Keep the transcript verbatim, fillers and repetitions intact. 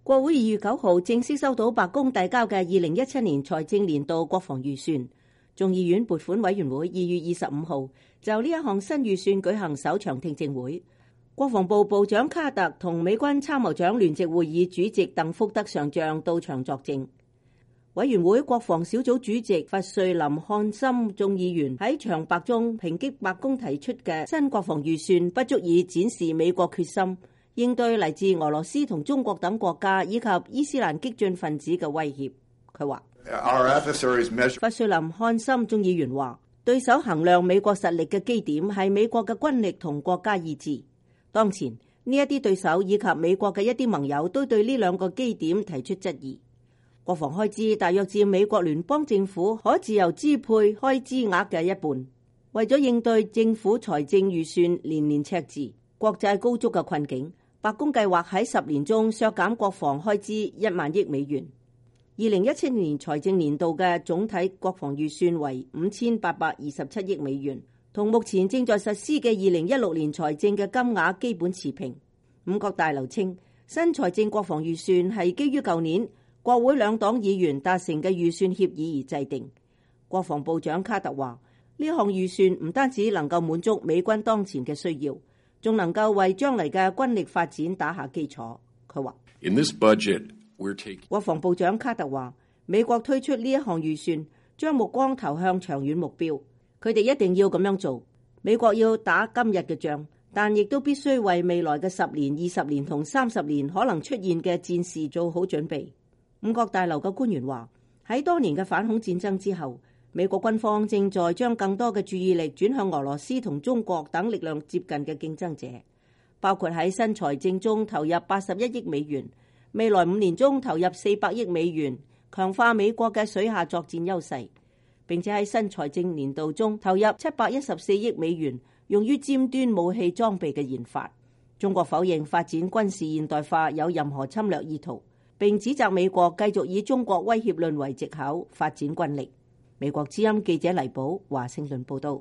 國會二月九號正式收到白宮遞交嘅二零一七年財政年度國防預算。眾議院撥款委員會二月二十五號就呢一項新預算舉行首場聽證會。國防部部長卡特同美軍參謀長聯席會議主席鄧福德上將到場作證。委員會國防小組主席弗瑞林漢森眾議員喺長白中抨擊白宮提出嘅新國防預算不足以展示美國決心應對嚟自俄羅斯同中國等國家以及伊斯蘭激進分子嘅威脅。佢話：弗瑞林漢森眾議員話，對手衡量美國實力嘅基點係美國嘅軍力同國家意志。當前呢一啲對手以及美國嘅一啲盟友都對呢兩個基點提出質疑。國防開支大約佔美國聯邦政府可自由支配開支額嘅一半。為咗應對政府財政預算年年赤字、國債高築嘅困境，白宮計劃喺十年中削減國防開支一萬億美元。二零一七年財政年度嘅總體國防預算為五千八百二十七億美元，同目前正在實施嘅二零一六年財政嘅金額基本持平。五角大樓稱，新財政國防預算係基於舊年國會兩黨議員達成嘅預算協議而制定。國防部長卡特話，呢項預算唔單止能夠滿足美軍當前嘅需要，仲能夠為將來嘅軍力發展打下基礎。佢話：In this budget, we're taking... 國防部長卡特話，美國推出呢一項預算，將目光投向長遠目標。佢哋一定要咁樣做。美國要打今日嘅仗，但亦都必須為未來嘅十年、二十年同三十年可能出現嘅戰事做好準備。五角大樓嘅官員話，喺多年嘅反恐戰爭之後，美國軍方正在將更多嘅注意力轉向俄羅斯同中國等力量接近嘅競爭者，包括喺新財政中投入八十一億美元，未來五年中投入四百億美元，強化美國嘅水下作戰優勢，並且喺新財政年度中投入七百一十四億美元，用於尖端武器裝備嘅研發。中國否認發展軍事現代化有任何侵略意圖，並指責美國繼續以中國威脅論為藉口發展軍力。美國之音記者黎寶華盛頓報道。